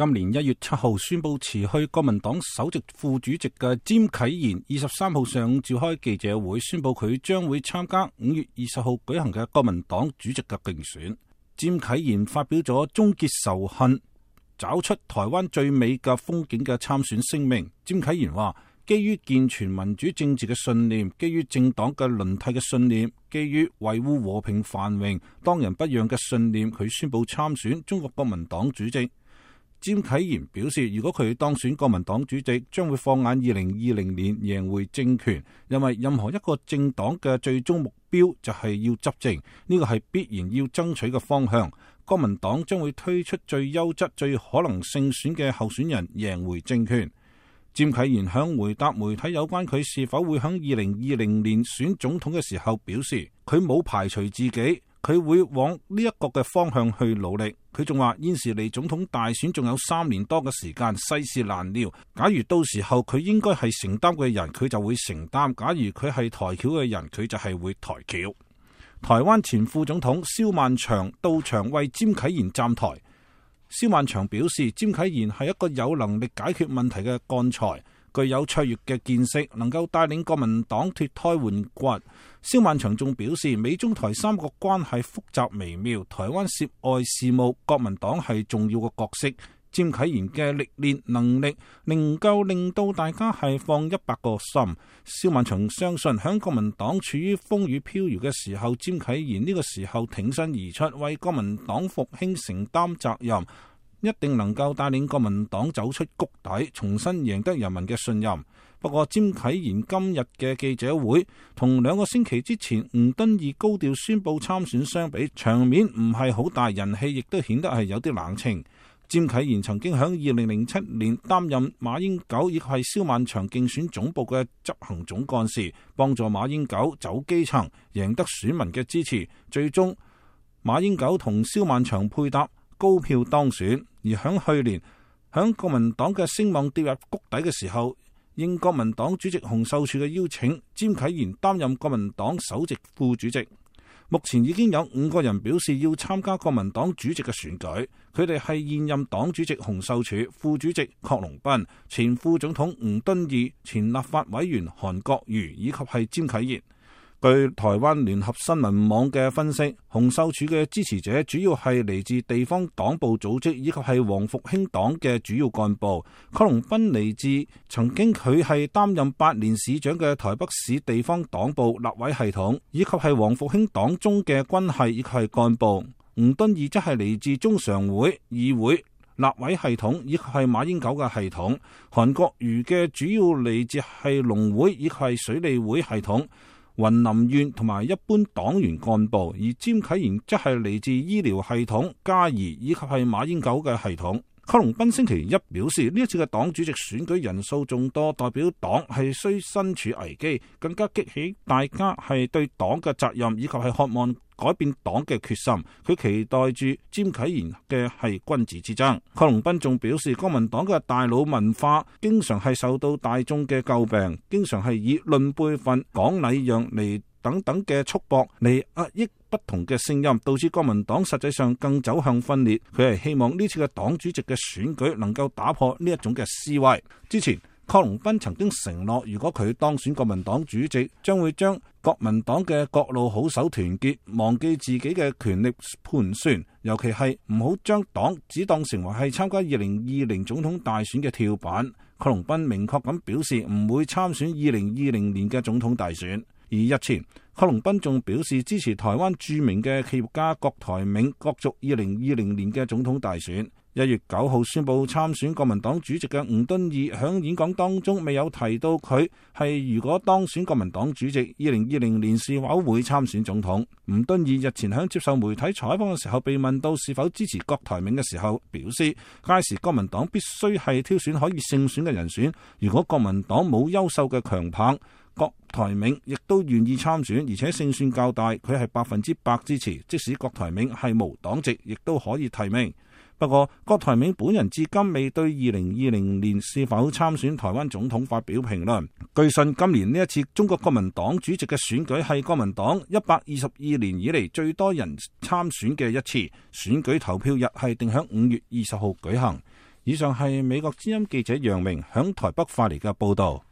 今年1月7號宣布辭去國民黨首席副主席嘅詹啟賢23號上午召開記者會，宣布佢將會參加5月20號舉行嘅國民黨主席嘅競選。詹啟賢發表咗終結仇恨、找出台灣最美嘅風景嘅參選聲明。詹啟賢話：基於健全民主政治嘅信念，基於政黨嘅輪替嘅信念，基於維護和平繁榮、當仁不讓嘅信念，佢宣布參選中國國民黨主席。詹啟賢表示，如果佢當選國民黨主席，將會放眼2020年贏回政權，因為任何一個政黨嘅最終目標就係要執政，呢個係必然要爭取嘅方向。國民黨將會推出最優質、最可能勝選嘅候選人，贏回政權。詹啟賢響回答媒體有關佢是否會響2020年選總統嘅時候表示，佢冇排除自己，佢會往呢一個嘅方向去努力。佢仲話現時離總統大選仲有3年多嘅時間，世事難料。假如到時候佢應該係承擔嘅人，佢就會承擔；假如佢係抬轎嘅人，佢就係會抬轎。台灣前副總統蕭萬長到場為詹啟賢站台。蕭萬長表示，詹啟賢係一個有能力解決問題嘅幹才，具有卓越嘅見識，能夠帶領國民黨脫胎換骨。蕭萬長仲表示，美中台3國關係複雜微妙，台灣涉外事務，國民黨係重要嘅角色。詹啟賢嘅歷練能力，能夠令到大家係放100個心。蕭萬長相信，響國民黨處於風雨飄搖嘅時候，詹啟賢呢個時候挺身而出，為國民黨復興承擔責任，一定能夠帶領國民黨走出谷底，重新贏得人民嘅信任。不過，詹啟賢今日嘅記者會同2個星期之前吳敦義高調宣布參選相比，場面唔係好大，人氣亦都顯得係有啲冷清。詹啟賢曾經喺2007年擔任馬英九以及係蕭萬長競選總部嘅執行總幹事，幫助馬英九走基層，贏得選民嘅支持。最終，馬英九同蕭萬長配搭，高票當選。而喺去年，響國民黨嘅聲望跌入谷底嘅時候，應國民黨主席洪秀柱嘅邀請，詹啟賢擔任國民黨首席副主席。目前已經有5個人表示要參加國民黨主席嘅選舉，佢哋係現任黨主席洪秀柱、副主席郝龍斌、前副總統吳敦義、前立法委員韓國瑜以及係詹啟賢。據台灣聯合新聞網嘅分析，洪秀柱嘅支持者主要係嚟自地方黨部組織以及係黃復興黨嘅主要幹部。郝龍斌嚟自曾經佢係擔任8年市長嘅台北市地方黨部立委系統，以及係黃復興黨中嘅軍系以及係幹部。吳敦義則係嚟自中常會、議會、立委系統以及係馬英九嘅系統。韓國瑜嘅主要嚟自係農會以及係水利會系統、雲林縣同埋一般黨員幹部，而詹啟賢則係嚟自醫療系統、嘉義以及係馬英九嘅系統。郝龍斌星期一表示，呢一次嘅黨主席選舉人數眾多，代表黨係需身處危機，更加激起大家係對黨嘅責任以及係渴望改變黨嘅決心。佢期待住詹啟賢嘅係君子之爭。郝龍斌仲表示，國民黨嘅大佬文化經常係受到大眾嘅詬病，經常係以論輩分、講禮讓嚟等等嘅束縛嚟壓抑不同嘅聲音，導致國民黨實際上更走向分裂。佢係希望呢次嘅黨主席嘅選舉能夠打破呢一種嘅思維。之前郝龍斌曾經承諾，如果佢當選國民黨主席，將會將國民黨嘅各路好手團結，忘記自己嘅權力盤算，尤其係唔好將黨只當成為係參加2020總統大選嘅跳板。郝龍斌明確咁表示唔會參選2020年嘅總統大選。而日前，郝龍斌仲表示支持台灣著名嘅企業家郭台銘角逐2020年嘅總統大選。1月9號宣布參選國民黨主席嘅吳敦義響演講當中未有提到佢係如果當選國民黨主席2020年是否會參選總統。吳敦義日前響接受媒體採訪嘅時候被問到是否支持郭台銘嘅時候，表示屆時國民黨必須係挑選可以勝選嘅人選，如果國民黨冇優秀嘅強棒，郭台銘亦都願意參選，而且勝算較大，佢係100%支持，即使郭台銘係無黨籍，亦都可以提名。不過，郭台銘本人至今未對2020年是否參選台灣總統發表評論。據信，今年呢一次中國國民黨主席嘅選舉係國民黨122年以嚟最多人參選嘅一次，選舉投票日係定喺5月20號舉行。以上係美國之音記者楊明響台北發嚟嘅報道。